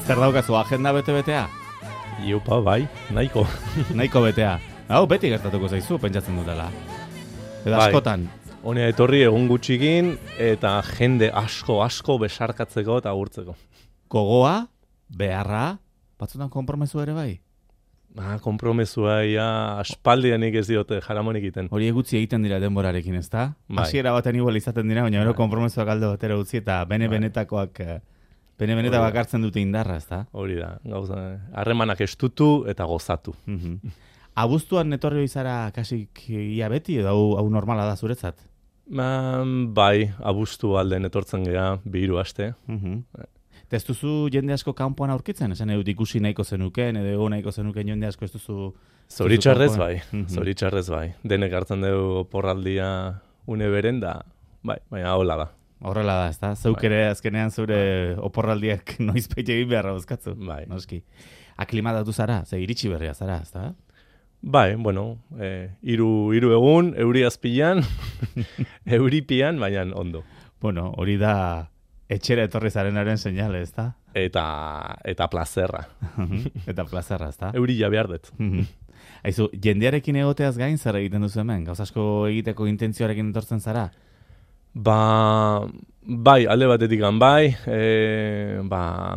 Zer daukazu, agenda bete-betea? Iupa, bai, nahiko. Nahiko betea. Hau, beti gertatuko zaizu, pentsatzen dutela. Edo Bai. askotan. Honea etorri egun gutxikin eta jende asko besarkatzeko eta agurtzeko. Gogoa, beharra, batzutan konpromesu ere bai. Konpromesua aspaldianik ez diote jaramonik iten. Hori egutzi egiten dira denborarekin, ezta? Bai. Hasiera baten igual izaten dira, baina gero konpromesuak alde batera utzi eta bene-benetakoak bene-benetakoak hartzen dute indarra, ezta? Hori da, gauza, harremanak estutu eta gozatu. Abuztuan etorri izara kasik ia beti edo hau normala da zuretzat? Bai, abuztu alden etortzen gea 2 aste. Ez duzu jende asko kanpoan aurkitzen? Esan edut ikusi nahiko zenuken, edo nahiko zenuken jende asko ez duzu... Zoritxarrez bai, zoritxarrez bai. Denek hartzen dugu porraldia une beren da, bai, baina hola da. Horrela da, ezta? Zeuk ere azkenean zure oporraldiak noizbait egin beharra bozkatzu. Bai. Noski. Aklimatatu zara, ze iritsi berria zara, ezta? Bai, bueno, hiru egun, euri azpilan, euripian, baina ondo. Bueno, hori da etxera etorri zarenaren seinale, ezta? Eta plazerra. Eta plazerra, ezta? Euri ja behar dut. Aizu, jendearekin egoteaz gain zer egiten duzu hemen? Gauz asko egiteko intentzioarekin etortzen zara? Bai, alde batetik bai,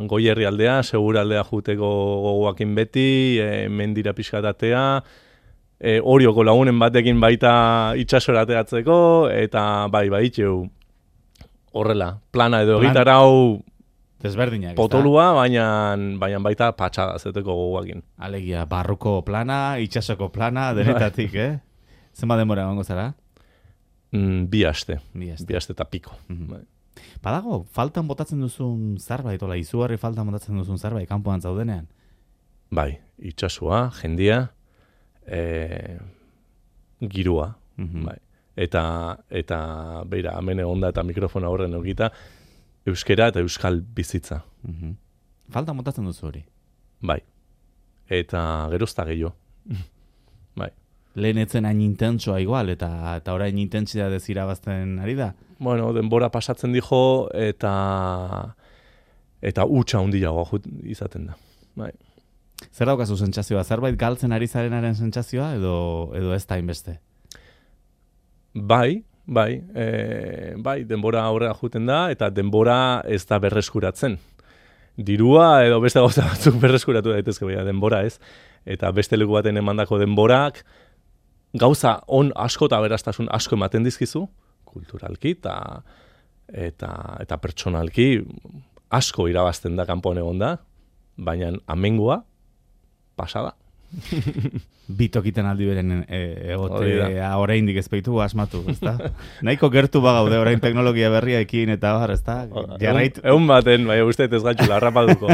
Goierri aldea, Segura aldea juteko gogoakin beti, mendira pixkatatea, Orioko lagunen batekin baita itxasora teatzeko, eta bai, itxeu horrela, plana edo egitarau desberdinak, potolua, baina baita patxada zeteko gogoakin. Alegia, barruko plana, itxasoko plana, denetatik, Zenba denbora egongo zara? 2 aste. 2 aste eta piko. Badago, faltan botatzen duzun zerbait, izugarri faltan botatzen duzun zerbait, kanpoan zaudenean? Bai, itxasua, jendia, girua, bai. Eta beira, hemen egonda eta mikrofona horren egita, euskera eta euskal bizitza. Faltan botatzen duzu hori? Bai. Eta gerozta gehiago. Bai. Lehen etzen hain intentsoa igual, eta orain intentsitatez irabazten ari da? Bueno, denbora pasatzen dijo, eta hutsa handiagoa izaten da. Bai. Zer daukazu sentsazioa? Zerbait galtzen ari zarenaren sentsazioa, edo ez da inbeste? Bai, denbora aurrera juten da, eta denbora ez da berreskuratzen. Dirua edo beste gauza batzuk berreskuratu daitezke, baina denbora ez. Eta beste leku baten emandako denborak, gauza on asko eta beraztasun asko ematen dizkizu, kulturalki eta pertsonalki asko irabazten da kanpoan egon da, baina amengoa pasada. Bitokiten aldi beren egotea oraindik ez baitu asmatu, ezta? Nahiko gertu bagaude orain teknologia berriaekin eta bar, ezta? Egun baten, bai, uste ez gaitxula, harrapaduko.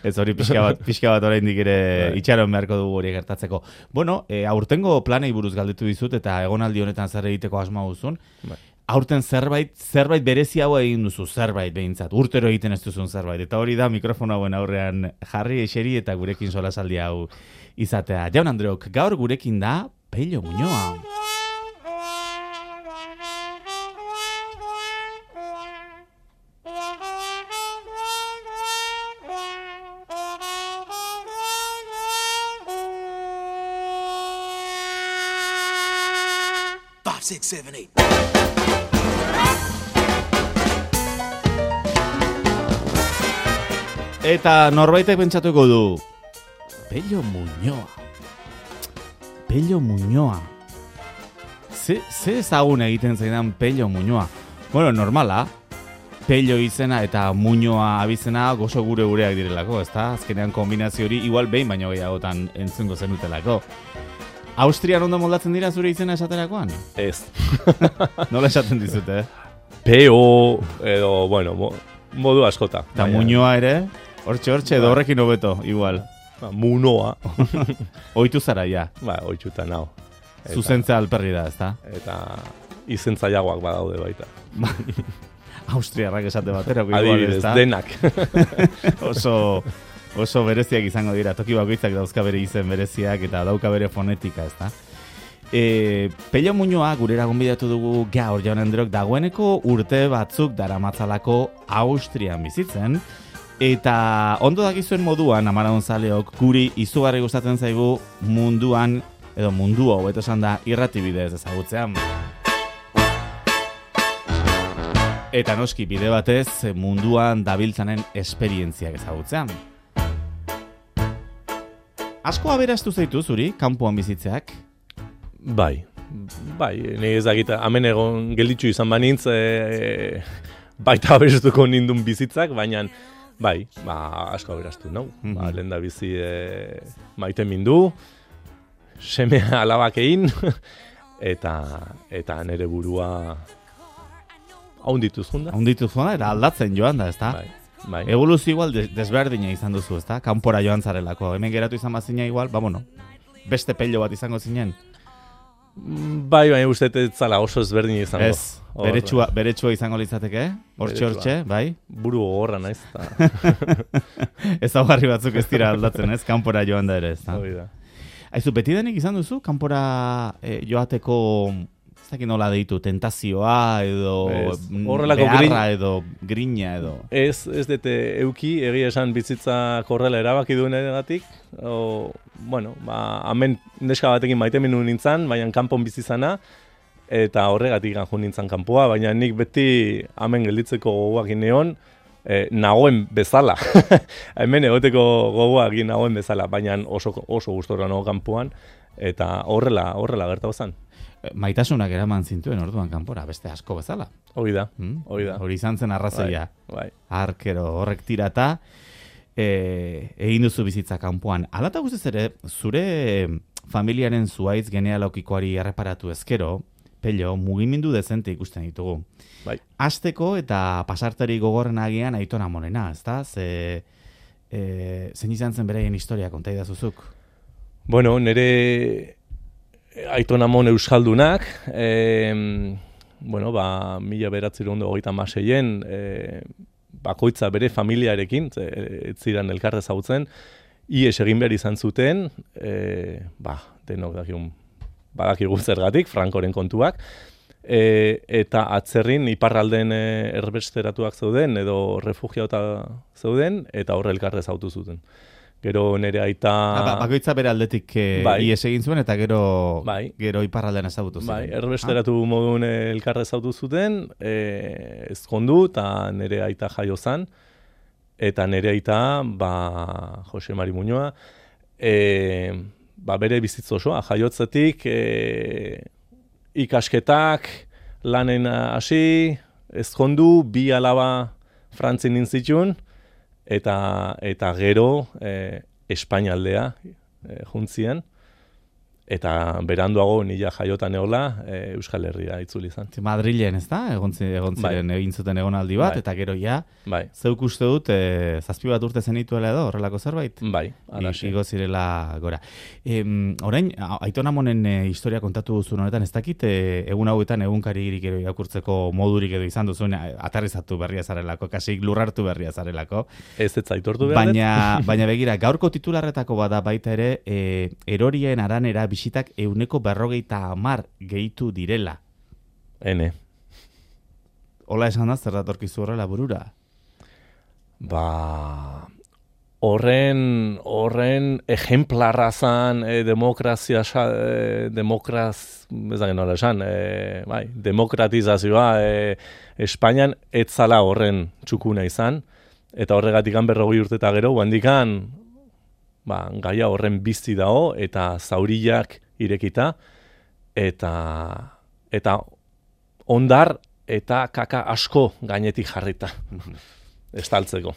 Ez hori pixka bat oraindik ere itxaron beharko dugu hori gertatzeko. Bueno, aurtengo planei buruz galdetu dizut eta egonaldi honetan zer egiteko asma duzun. Aurten zerbait bereziagoa egin duzu, zerbait behintzat, urtero egiten ez duzun zerbait. Eta hori da mikrofono hauen aurrean jarri eseri eta gurekin solasaldi hau izatea. Jaun Andreok, gaur gurekin da Pello Muñoa. Five, six, seven, eight. Eta norbaitek pentsatuko du, Pello Muñoa. Pello Muñoa. Ze ezagun egiten zaidan Pello Muñoa? Bueno, normala. Pello izena eta Muñoa abizena gozo gureak direlako, ezta? Azkenean kombinazio hori igual behin baino gehiagotan entzungo zenutelako. Austrian ondo moldatzen dira zure izena esaterakoan? Ez. Nola esaten dizute, Peo, edo, bueno, modu askota. Eta Muñoa ere, hortxe, edo horrekin hobeto, igual. Munoa. Oitu zara, ja. Oituta nao. Zuzentza alperri da, ezta? Eta izentzaiagoak badaude baita. Austriarrak esate batera, adibidez, denak. Oso bereziak izango dira, toki bakoitzak dauzka bere izen bereziak eta dauka bere fonetika, ezta? Pello Muñoa gurera gonbidatu dugu gaur, Jaun Andreok, dagoeneko urte batzuk daramatzalako Austrian bizitzen, Eta ondo dakizuen moduan, Amaraun zaleok, guri izugarri gustatzen zaigu munduan, edo mundua hobeto esan da, irratibidez ezagutzean. Eta noski bide batez munduan dabiltzanen esperientziak ezagutzean. Asko aberastu zaitu zuri, kanpoan bizitzeak? Bai, nire ezagita, hemen egon gelditzu izan banintz, baita aberastuko nindun bizitzak, baina bai, asko aberastu, no? Lehen da bizi maite mindu, semea alabakein, eta nire burua haundituz junda. Haundituz junda, eta aldatzen joan da, ezta? Bai. Evoluzio igual desberdina izan duzu, ezta? Kanpora joan zarelako. Hemen geratu izan bazina igual, beste pello bat izango zinen. Bai, baina uste ez zala oso ezberdin izango. Ez, beretsua izango litzateke, hortxe, bai? Buru gogorra naiz. Ezaugarri batzuk ez dira aldatzen, ez? Kanpora joan da ere, ez da? Hoi da. Aizu, beti denik izan duzu, kanpora joateko, ez dakit nola deitu, tentazioa, edo beharra, edo grina, edo... Ez dute euki, egia esan bizitza korrela erabaki duen edatik, hemen neska batekin maite minu nintzen, baina kanpon bizizana, eta horregatik ganju nintzen kanpoa, baina nik beti hemen gelditzeko gogoak neon, nagoen bezala. Hemen egoteko gogoak nagoen bezala, baina oso gustora nago kanpoan, eta horrela gertatu zen. Maitasunak eraman zintuen orduan kanpora, beste asko bezala. Hoi da. Hori izan zen arrazoia. Bai. Arkero horrek tirata, egin duzu bizitza kanpoan. Alata guztiz ere, zure familiaren zuaitz genealogikoari erreparatu ezkero, Pello, mugimendu dezente ikusten ditugu. Bai. Hasteko eta pasarteri gogorren agian Aiton Amonena, ezta? Zein izan zen beraien historia konta idazuzuk? Bueno, nire Aiton Amon euskaldunak, 1936 bakoitza bere familiarekin, ez ziren elkarre zautzen, ies egin behar izan zuten, denok badakigu zergatik, Frankoren kontuak, eta atzerrin iparralden erbesteratuak zeuden, edo refugiauta zeuden, eta horre elkarre zautu zuten. Gero nire aita... Bakoitza bere aldetik ies egin zuen, eta gero iparraldean ezagutu zuen. Bai, erbesteratu moduen elkarre zautu zuten, ezkondu, eta nire aita jaio zan, eta nire aita, Jose Mari Muñoa, bere bizitz osoa, jaiotzetik, ikasketak, lanen hasi, ezkondu, 2 alaba Frantzin nintzitun, eta gero Espainialdea juntzien, eta beranduago nila jaiotan egola Euskal Herria itzuli izan. Madrilen, ez da? Egon ziren egin zuten egonaldi bat, eta gero zeuk uste dut, 7 bat urte zenituela edo, horrelako zerbait? Bai, alaxe. Igo zirela gora. Orain, Aiton Amonen historia kontatu duzun honetan, ez dakit, egun hauetan egunkaririk ero irakurtzeko modurik edo izan duzun, aterrizatu berria zarelako, kasik lurrartu berria zarelako. Ez aitortu behar. Baina begira, gaurko titularretako bada baita ere, erorien aranera bisitak 150 gehitu direla. Ene. Hola esan da, zer datorkizu horrela burura? Horren ejemplarra zan demokratizazioa Espainian etzala horren txukuna izan, eta horregatik 40 urte eta gero, handikan gaia horren bizi dago, eta zauriak irekita, eta ondar eta kaka asko gainetik jarrita, estaltzeko.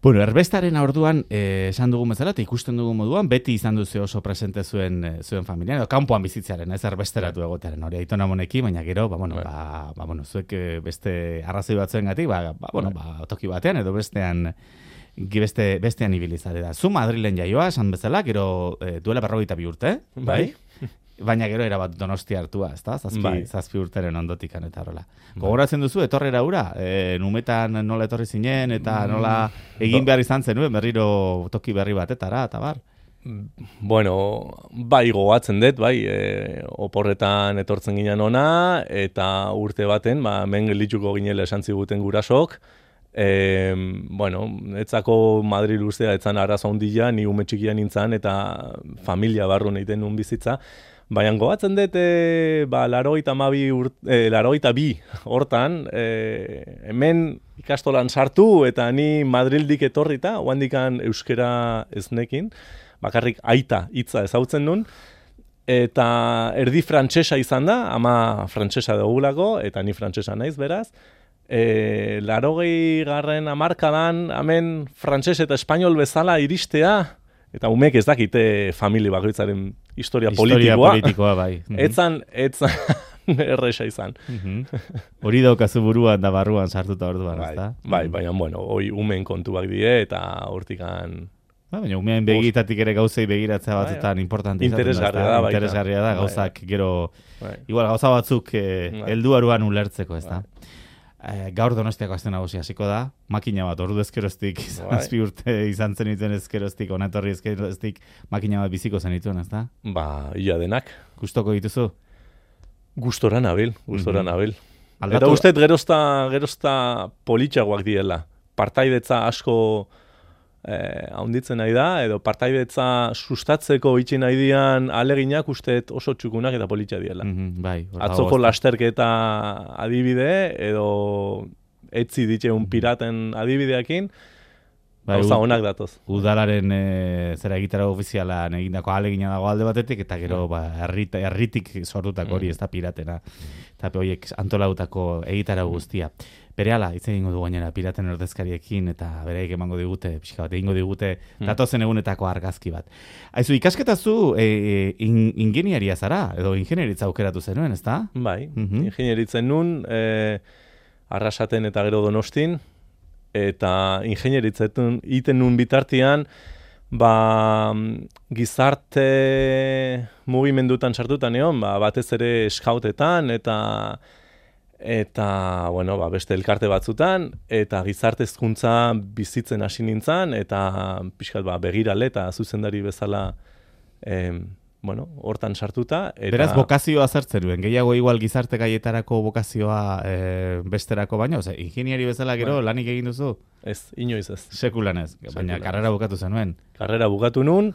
Bueno, erbestaren orduan, esan dugun bezala, eta ikusten dugun moduan, beti izan duzu oso presente zuen familia, edo kanpoan bizitzaren, ez erbesteratu egotearen, hori Aiton Amonekin, baina gero, zuek beste arrazoi batzuen gatik, toki batean, edo bestean ibilizare da. Zu Madrilen jaioa, esan bezala, gero duela 42 urte, bai? Baina gero erabat Donostia hartua, ezta? 7 urteren ondotikan eta horrela. Gogoratzen duzu, etorrera hura, numetan nola etorri zinen, eta nola egin behar izan zenuen, berriro toki berri batetara, eta bar? Bueno, gogatzen dut, oporretan etortzen ginen ona, eta urte baten, men geldituko ginela esan ziguten gurasok, Bueno, etzako Madrid ustea etzan arazo handia, ni ume txikia nintzen eta familia barrun egiten nun bizitza. Baina gogatzen dut, 82 hortan, hemen ikastolan sartu eta ni Madrildik etorrita, oandikan euskera eznekin, bakarrik aita hitza ezautzen nun, eta erdi frantsesa izan da, ama frantsesa dugulako, eta ni frantsesa naiz beraz. 80. hamarkadan hemen frantses eta espainol bezala iristea, eta umek ez dakite familia bakoitzaren historia politikoa bai. Etzan erresa izan. Hori daukazu buruan da barruan sartuta orduan, ezta? Bai, baina, bueno, hoi umen kontuak die, eta hortikan... Baina, umean begitatik ere gauzei begiratzea batzutan importante interesgarria da, gauzak gero... Igual, gauza batzuk helduaruan ulertzeko, ezta? Gaur Donostiako aste nagusia hasiko da, makina bat, ordu ezkeroztik, 7 urte izan zenituen ezkeroztik, onetorri ezkeroztik, makina bat biziko zenituen, ezta? Ia denak. Gustoko dituzu? Gustora nabil. Eta uste gerozta politxagoak diela. Partaidetza asko haunditzen nahi da, edo partaidetza sustatzeko itxin nahi dian aleginak usteet oso txukunak eta politxa diela. Atzoko lasterketa adibide, edo etzi ditzeun piraten adibideakin, gauza honak datoz. Udalaren zera egitara ofizialan egindako alegina dago alde batetik, eta gero herritik sortutako hori ez da piratena. Eta horiek antolautako egitara guztia. Berehala, hitz egingo du gainera piraten ordezkariekin eta bereik emango digute, pixka bat, egingo digute datozen egunetako argazki bat. Aizu, ikasketazu ingeniaria zara, edo ingenieritza aukeratu zenuen, ezta? Bai, ingenieritzen nun, Arrasaten eta gero Donostin, eta ingenieritzen iten nun bitartian, gizarte mugimendutan sartutan egon, batez ere skautetan, eta bueno, beste elkarte batzutan, eta gizarte hezkuntza bizitzen hasi nintzen, eta pixkat begirale eta zuzendari bezala hortan sartuta. Beraz, bokazioa zertzen duen, gehiago igual gizarte gaietarako bokazioa besterako baino, ingeniari bezala gero lanik egin duzu? Ez, inoiz ez. Sekulan ez, baina karrera bukatu zenuen? Karrera bukatu nun,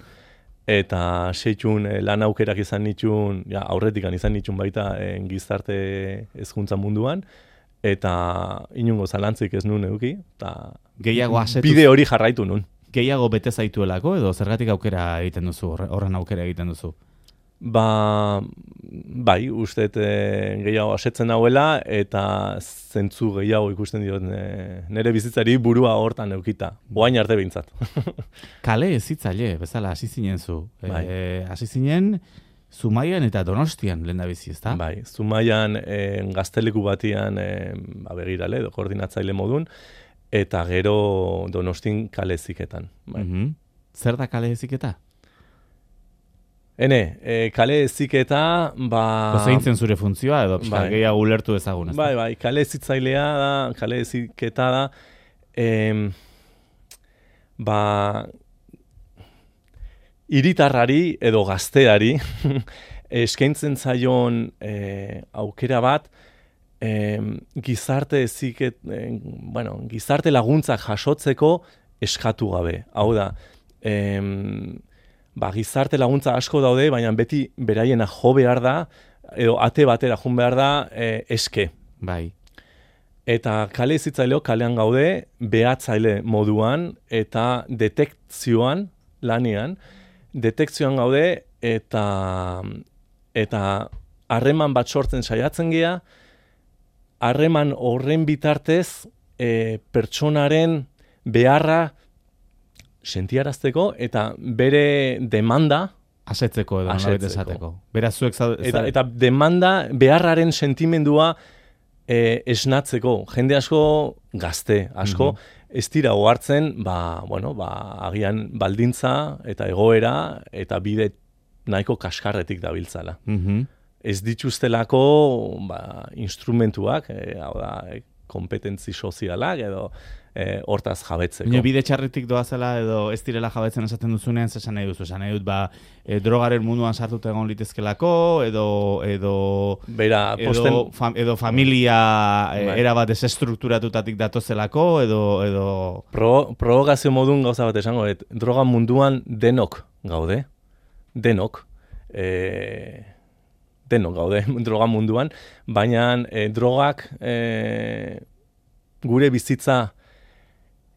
eta seitxun lan aukerak izan nitxun, aurretikan izan nitxun baita gizarte hezkuntza munduan, eta inungo zalantzik ez nun eduki, eta bide hori jarraitu nun. Gehiago bete zaituelako, edo zergatik aukera egiten duzu, horren aukera egiten duzu? Bai, usteet gehiago asetzen nauela, eta zentzu gehiago ikusten diot nire bizitzari burua hortan eukita. Oain arte behintzat. Kale ezitzaile, bezala, hasi zinen zu. Hasi zinen Zumaian eta Donostian lehendabizi, ezta? Bai, Zumaian gazteleku batian begirale, edo koordinatzaile modun, eta gero Donostin kale eziketan. Zer da kale eziketa? Kale eziketa, zein zen zure funtzioa, edo gehiago ulertu ezagun, ez da? Bai, kale ezitzailea da, kale eziketa da, hiritarrari edo gazteari eskaintzen zaion aukera bat, gizarte laguntzak jasotzeko eskatu gabe. Hau da, gizarte laguntza asko daude, baina beti beraiena jo behar da, edo ate batera jun behar da, eske. Bai. Eta kale ezitzaileok kalean gaude, behatzaile moduan, eta detekzioan, lanean, detekzioan gaude, eta harreman bat sortzen saiatzen gea, harreman horren bitartez pertsonaren beharra sentiarazteko eta bere demanda asetzeko edo nolabait esateko. Beraz zuek eta demanda beharraren sentimendua esnatzeko. Jende asko, gazte asko, ez dira ohartzen, agian baldintza eta egoera eta bide nahiko kaskarretik dabiltzala. Ez dituztelako instrumentuak, hau da, kompetentzi sozialak, edo hortaz jabetzeko. Baina bide txarritik doazela edo ez direla jabetzen esaten duzunean, zesan nahi duzu, esan nahi dut, drogaren munduan sartuta egon litezkelako, edo familia erabat desestrukturatutatik datozelako, edo... Provokazio modun gauza bat esango, droga munduan denok gaude, denok gaude droga munduan, baina drogak gure bizitza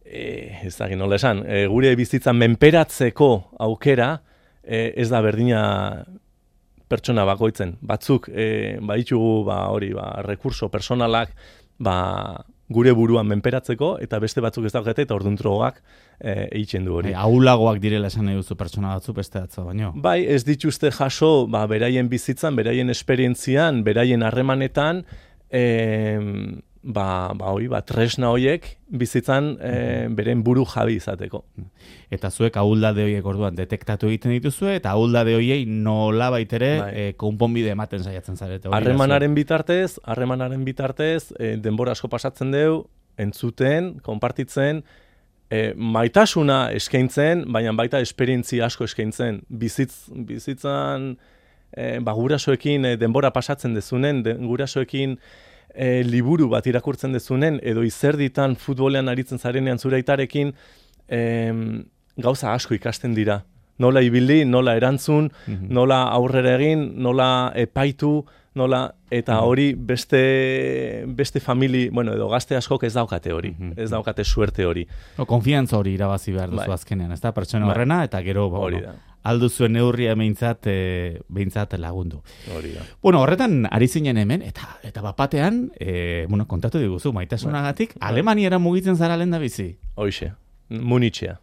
ez dakit nola esan, gure bizitza menperatzeko aukera ez da berdina pertsona bakoitzen. Batzuk baditugu rekurso personalak gure buruan menperatzeko, eta beste batzuk ez daukate, eta orduan drogak egiten du hori. Ahulagoak direla esan nahi duzu pertsona batzuk beste atzo, baino? Bai, ez dituzte jaso beraien bizitzan, beraien esperientzian, beraien harremanetan, tresna horiek bizitzan beren buru jabi izateko. Eta zuek ahuldade horiek orduan detektatu egiten dituzue, eta ahuldade horiei nola baitere konponbide ematen saiatzen zarete. Harremanaren bitartez, denbora asko pasatzen deu, entzuten, konpartitzen, maitasuna eskaintzen, baina baita esperientzia asko eskaintzen. Bizitzan gurasoekin denbora pasatzen dezunen, gurasoekin liburu bat irakurtzen dezunen, edo izerditan futbolean aritzen zarenean zure aitarekin, gauza asko ikasten dira. Nola ibili, nola erantzun, nola aurrera egin, nola epaitu, eta hori beste famili, edo gazte askok ez daukate hori, ez daukate suerte hori. Konfiantza hori irabazi behar duzu azkenean, ez da? Pertsona horrena, eta gero, alduzuen neurria behintzat lagundu. Hori da. Horretan ari zinen hemen, eta bapatean, kontatu diguzu, maitasunagatik, Alemaniara mugitzen zara lehen da bizi? Hoxe, Munitzea.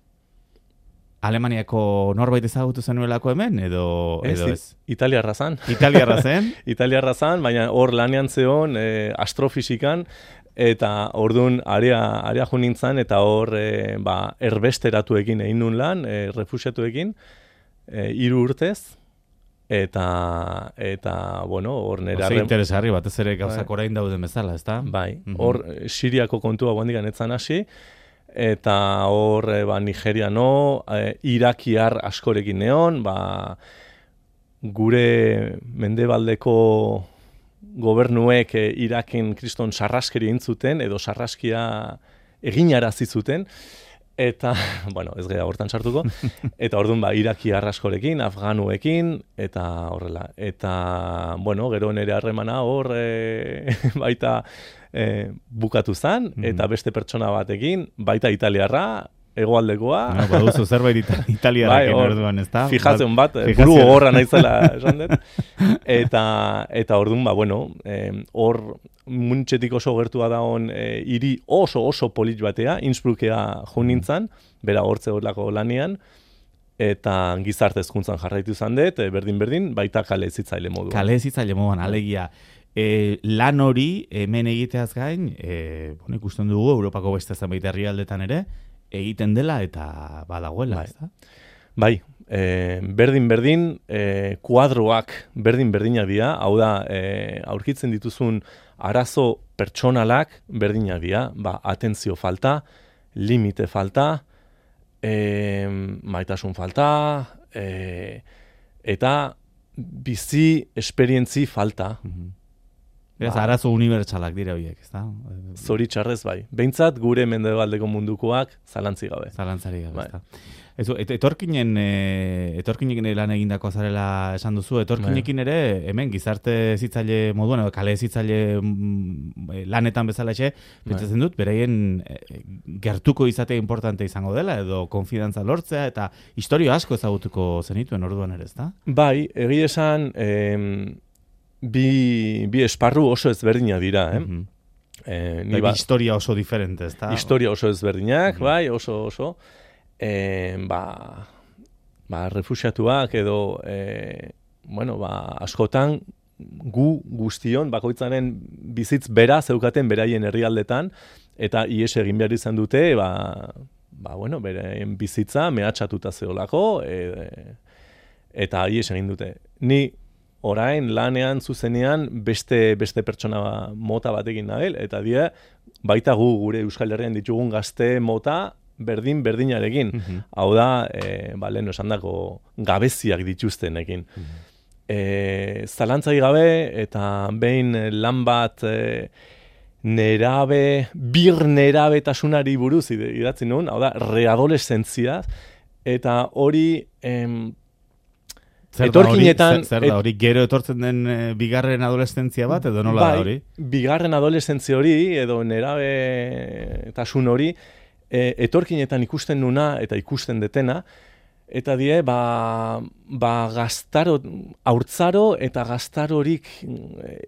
Alemaniako norbait ezagutu zenuelako hemen, edo ez? Italiarra zan. Italiarra zen? Italiarra zan, baina hor lanean zeon astrofisikan, eta orduan area jo nintzen, eta hor erbesteratuekin egin nun lan, refusiatuekin, 3 urtez, eta hor nire... Oze interesgarri, batez ere gauzak orain dauden bezala, ez da? Bai, hor Siriako kontua guandikan etzan hasi, eta hor Nigeriano, irakiar askorekin neon, gure mendebaldeko gobernuek Iraken kriston sarraskeri entzuten, edo sarraskia eginarazi zuten, eta, ez gara hortan sartuko, eta orduan irakiar askorekin, afganuekin, eta horrela. Eta, gero nire harremana hor baita bukatu zen, eta beste pertsona batekin, baita italiarra, hegoaldekoa. Baduzu zerbait italiarrekin orduan, ez da? Fijatzen bat, buru gogorra naizela esan dut. Eta orduan, hor Muntxetik oso gertua dagoen hiri oso polit batea, Innsbruckea jo nintzen, bera hortze horlako lanian, eta gizarte hezkuntzan jarraitu izan dut, berdin, baita kale hezitzaile moduan. Kale hezitzaile moduan, alegia. Lan hori hemen egiteaz gain, ikusten dugu Europako beste zenbait herrialdetan ere, egiten dela eta badagoela, ez da? Bai, berdin, kuadroak berdin-berdinak dira, hau da, aurkitzen dituzun arazo pertsonalak berdinak dira, atentzio falta, limite falta, maitasun falta, eta bizi esperientzi falta. Ez arazo unibertsalak dira horiek, ez da? Zoritxarrez bai. Behintzat gure mendebaldeko mundukoak zalantzi gabe. Zalantzarik gabe, ez da. Etorkinen lan egindako zarela esan duzu, etorkinekin ere hemen gizarte hezitzaile moduan, edo kale hezitzaile lanetan bezala pentsatzen dut, beraien gertuko izatea importante izango dela, edo konfidantza lortzea, eta historia asko ezagutuko zenituen orduan ere, ez da? Bai, egia esan, bi esparru oso ezberdinak dira, historia oso diferente, ez da? Historia oso ezberdinak, bai, oso. Refusiatuak edo, askotan guztion, bakoitzaren bizitz bera zeukaten beraien herrialdetan, eta ies egin behar izan dute, beraien bizitza mehatxatuta zeolako, eta ies egin dute. Ni orain lanean zuzenean beste pertsona mota batekin nabil, eta die, baita gure Euskal Herrian ditugun gazte mota berdinarekin. Hau da, lehen esandako gabeziak dituztenekin. Zalantzai gabe, eta behin lan bat bir nerabetasunari buruz idatzi nuen, hau da, readolescentzia, eta hori etorkinetan... Zer da hori, gero etortzen den bigarren adolescentzia bat, edo nola da hori? Bigarren adolescentzia hori, edo nerabetasun hori, etorkinetan ikusten nuna eta ikusten detena, eta die, gaztaro, haurtzaro eta gaztarorik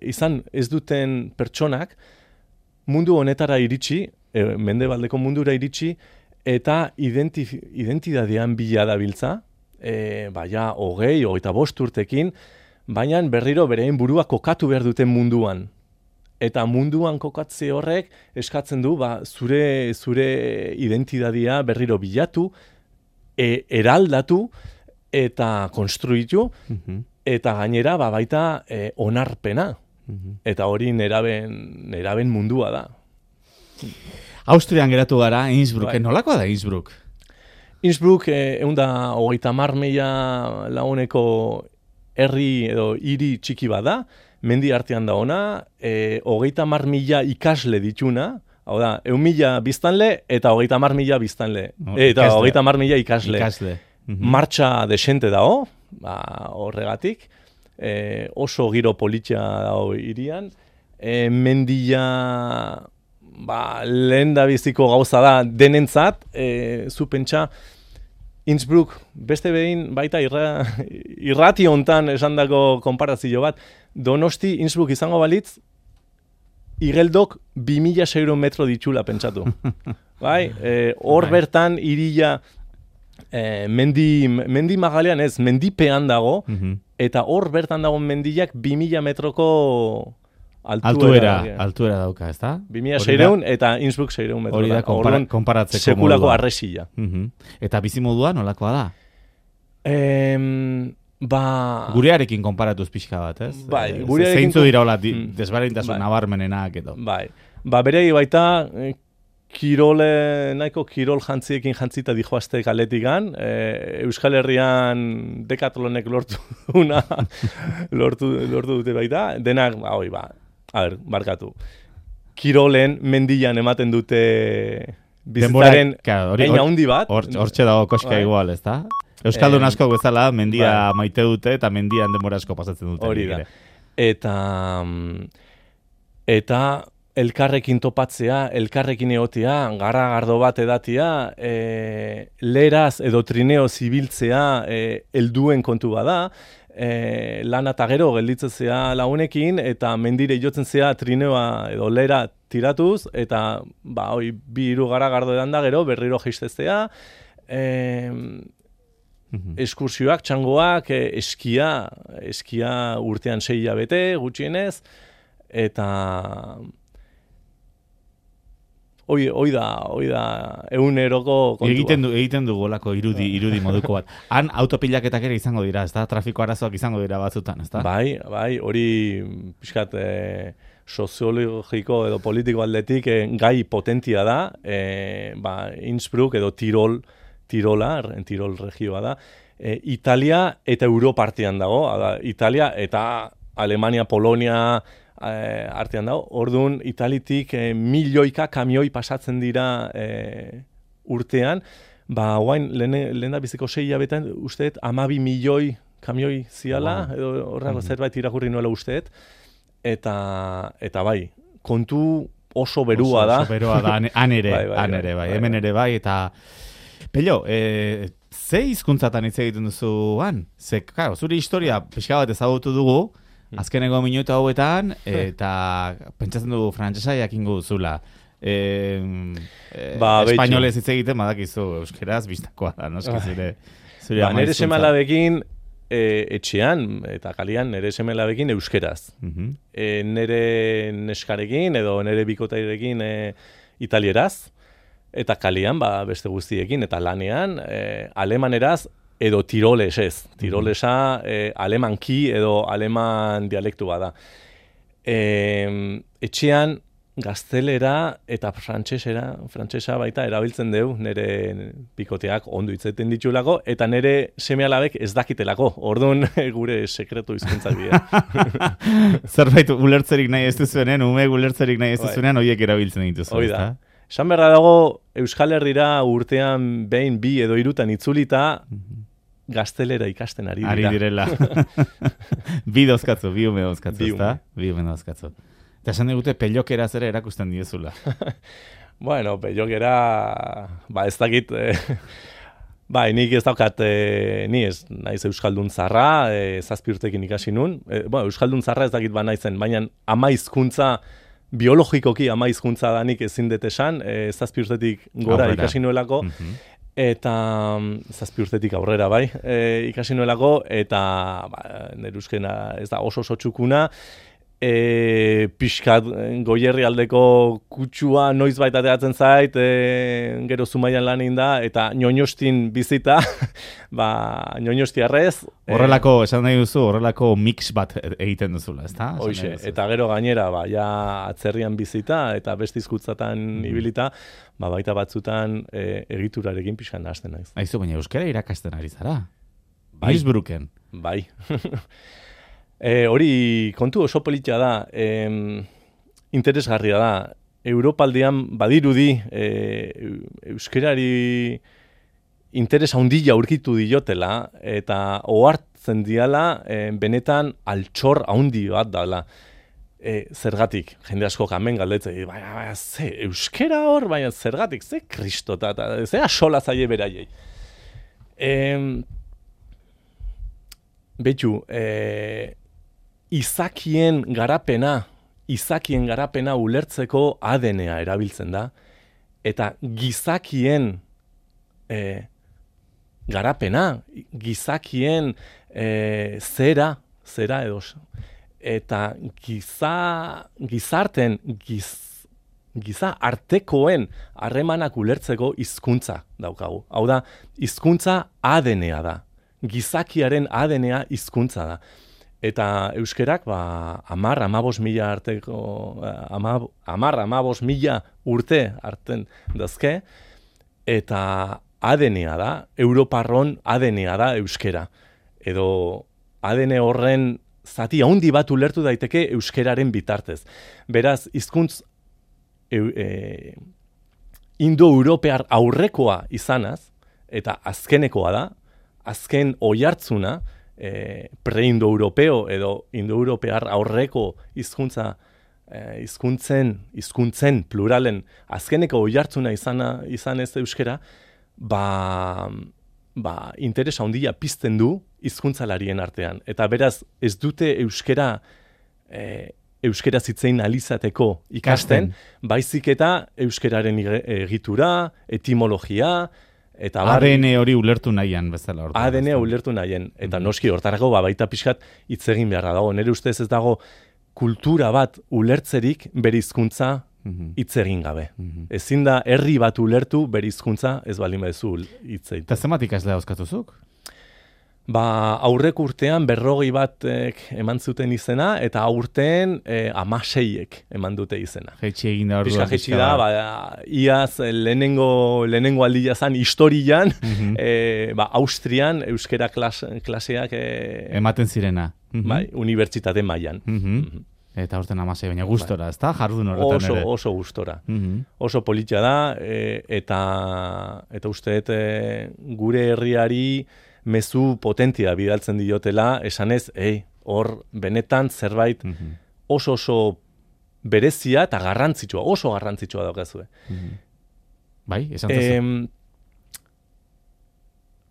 izan ez duten pertsonak mundu honetara iritsi, mendebaldeko mundura iritsi, eta identidadean bila dabiltza, 25 urtekin, baina berriro berein burua kokatu behar duten munduan. Eta munduan kokatze horrek eskatzen du zure identidadia berriro bilatu, eraldatu eta konstruitu, eta gainera baita onarpena. Eta hori neraben mundua da. Austrian geratu gara, Innsbrucken. Nolakoa da Innsbruck? Innsbruck 130.000 laguneko herri edo hiri txiki bada, mendi artean da ona, 30.000 ikasle dituna, hau da, 1.000 biztanle eta 30.000 biztanle. Eta 30.000 ikasle. Martxa desente dago, horregatik, oso giro politia dago hirian, mendia lehen da biziko gauza da denentzat, zu pentsa, Innsbruck, beste behin baita irrati hontan esandako konparazio bat, Donosti Innsbruck izango balitz, igeldok 2.600 metro ditxula pentsatu. Bai, hor bertan iria mendi magalean ez, mendipean dago, eta hor bertan dago mendiak 2.000 metroko altuera dauka, ez da? 2.600 eta Innsbruck 600 metro. Hori da konparatzeko sekulako arresila. Eta bizimodua nolakoa da? Gurearekin konparatuz pixka bat, ez? Bai, zeintzu dira hola desberdintasun nabarmenenak edo. Bai, beregi baita nahiko kirol jantziekin jantzita dijoazte kaletikan, Euskal Herrian Decathlonek lortu dute baita, denak, barkatu. Kirolen mendian ematen dute bizitaren eina hundi bat. Hortxe dago koska igual, ez da? Euskaldun asko bezala mendia maite dute eta mendian denbora asko pasatzen dute. Hori da. Eta elkarrekin topatzea, elkarrekin egotea, garragardo bat edatia, leraz edo trineo zibiltzea helduen kontu bada, lana eta gero gelditzea lagunekin, eta mendire jotzen zea trineoa edo lera tiratuz, eta bi hiru garragardo edan da gero, berriro jeistezea, eskursioak, txangoak, eskia urtean 6 hilabete, gutxienez, eta hoi da eguneroko kontua. Egiten dugu olako irudi moduko bat. Han autopilaketak ere izango dira, ez da? Trafiko arazoak izango dira batzutan, ez da? Bai, hori pixkat soziologiko edo politiko aldetik gai potentia da, Innsbruck edo Tirol regioa da. Italia eta Europa artean dago, Italia eta Alemania, Polonia artean dago. Orduan, Italitik milioika kamioi pasatzen dira urtean, guain lehen da biziko 6 hilabetan usteet 12 milioi kamioi ziala, edo horrako zerbait irakurri nuela usteet, eta bai, kontu oso berua da. Oso berua da, han ere, hemen ere bai, eta Pello, ze hizkuntzatan hitz egiten duzu han? Ze, claro, zure historia pixka bat ezagutu dugu, azkeneko minutu hauetan, eta pentsatzen dugu frantsesa jakingo duzula. Espainolez hitz egiten badakizu, euskeraz biztakoa da, noski zure ama nire semalabekin etxean eta kalian nire semalabekin euskeraz. Nire neskarekin edo nire bikotairekin italieraz. Eta kalian, beste guztiekin, eta lanean, alemaneraz edo tiroles ez. Tirolesa alemanki edo aleman dialektu bada. Etxean gaztelera eta frantsesa baita erabiltzen dugu, nire bikoteak ondo hitzaiten ditulako, eta nire seme-alabek ez dakitelako, orduan gure sekretu hizkuntzak dira. Zerbait ulertzerik nahi ez duzuenean, ume ulertzerik nahi ez duzuenean, horiek erabiltzen dituzu. Hoi da. Esan berra dago, Euskal Herrira urtean behin, 2 edo 3 itzulita, gaztelera ikasten ari dira. Ari direla. Bi ume dauzkatzu, ezta? Bi ume dauzkatzu. Eta esan digute pelokera zera erakusten diezula. Bueno, pelokera, ez dakit, nik ez daukat, ni ez naiz Euskaldun zarra, 7 urtekin ikasi nun. Euskaldun zarra ez dakit ba naizen, baina ama hizkuntza, biologikoki ama hizkuntza danik ezin dut esan, 7 urtetik gora ikasi nuelako, eta 7 urtetik aurrera bai, ikasi nuelako, eta nire euskena ez da oso txukuna, pixkat Goierri aldeko kutsua noiz baita ateatzen zait, gero Zumaian lan egin da, eta Ñoñostin bizita, Ñoñostiarrez. Horrelako, esan nahi duzu, horrelako mix bat egiten duzula, ezta? Hoxe, eta gero gainera, ja atzerrian bizita, eta beste hizkuntzatan ibilita, baita batzutan egiturarekin pixkan hasten naiz. Aizu, baina euskara irakasten ari zara? Bai. Innsbrucken. Bai. Hori kontu oso politia da, interesgarria da. Europaldean badirudi euskerari interes handia aurkitu diotela, eta ohartzen diala benetan altxor handi bat dela. Zergatik, jende asko kamen galdetzen, ze euskera hor, baina zergatik, ze kristota, ze asola zaie beraiei. Betxu, izakien garapena ulertzeko ADN-a erabiltzen da, eta gizakien garapena, gizakien zera edo, eta giza artekoen harremanak ulertzeko hizkuntza daukagu. Hau da, hizkuntza ADN-a da. Gizakiaren ADN-a hizkuntza da. Eta euskerak 10-15 mila urte hartzen dazke, eta ADN-a da, Europarron ADN-a da euskera. Edo ADN horren zati handi bat ulertu daiteke euskeraren bitartez. Beraz, hizkuntz indo-europear aurrekoa izanaz, eta azkenekoa da, azken oihartzuna, pre-indo-europeo edo indo-europear aurreko hizkuntzen pluralen azkeneko oihartzuna izan ez euskera, interes handia pizten du hizkuntzalarien artean. Eta beraz, ez dute euskera zitzein alizateko ikasten, baizik eta euskeraren egitura, etimologia, eta ADN hori ulertu nahian bezala. ADN ulertu nahian. Eta noski hortarako baita pixkat hitz egin beharra dago. Nire ustez ez dago kultura bat ulertzerik bere hizkuntza hitz egin gabe. Ezin da herri bat ulertu bere hizkuntza ez baldin baduzu hitz egiten. Eta zenbat ikaslea dauzkatuzuk? Aurreko urtean 40 batek eman zuten izena, eta aurten 16ek eman dute izena. Jaitsi egin da hor. Jaitsi da, iaz lehenengo aldia zan historian, Austrian euskera klaseak ematen zirena. Unibertsitate mailan. Eta aurten 16, baina gustora, ezta? Jardun horretan ere. Oso gustora. Oso politia da, eta uste gure herriari mezu potentia bidaltzen diotela, esanez, hor benetan zerbait oso berezia eta garrantzitsua, oso garrantzitsua daukazue. Bai, esan zazu.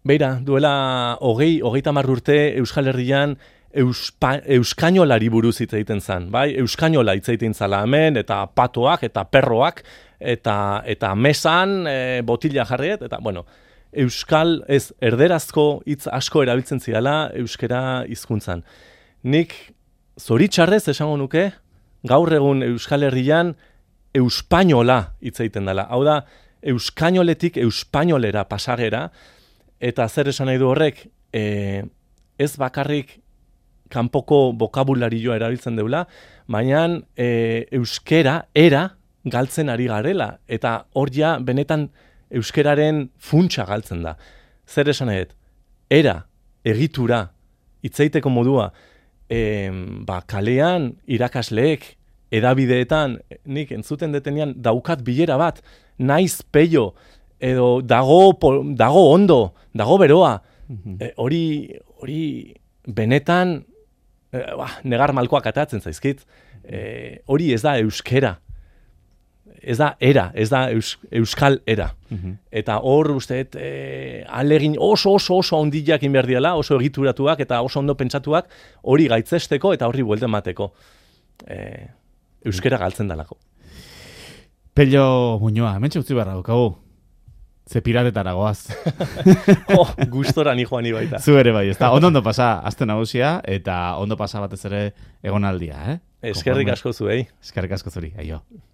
Beira, duela 30 urte Euskal Herrian euskainolari buruz hitz egiten zen, bai? Euskainola hitz egiten zala hemen, eta patoak, eta perroak, eta mesan botila jarriet, eta, bueno, euskal, ez, erderazko hitz asko erabiltzen zidala euskera hizkuntzan. Nik zoritxarrez esango nuke, gaur egun Euskal Herrian euspainola hitz egiten dela. Hau da, euskainoletik euspainolera pasagera, eta zer esan nahi du horrek, ez bakarrik kanpoko bokabularioa erabiltzen deula, baina euskera, era, galtzen ari garela, eta hor ja benetan euskeraren funtsa galtzen da. Zer esan nahi dut? Era, egitura, hitzeiteko modua, kalean irakasleek, edabideetan, nik entzuten detenean daukat bilera bat, naiz peio, edo dago ondo, dago beroa, hori benetan negar malkoak atatzen zaizkit, hori ez da euskera, ez da era, ez da euskal era. Eta hor usteet alegin oso ondiak inberdiala, oso egituratuak eta oso ondo pentsatuak hori gaitzesteko eta horri buelten mateko. Euskera galtzen dalako. Pello Muñoa, hemen utzi beharra daukagu. Ze piratetara goaz. Gustora ni joan baita. Zu ere bai, ezta. Ondo pasa aste nagusia eta ondo pasa batez ere egonaldia, Eskerrik asko zuei. Eskerrik asko zuri, aio.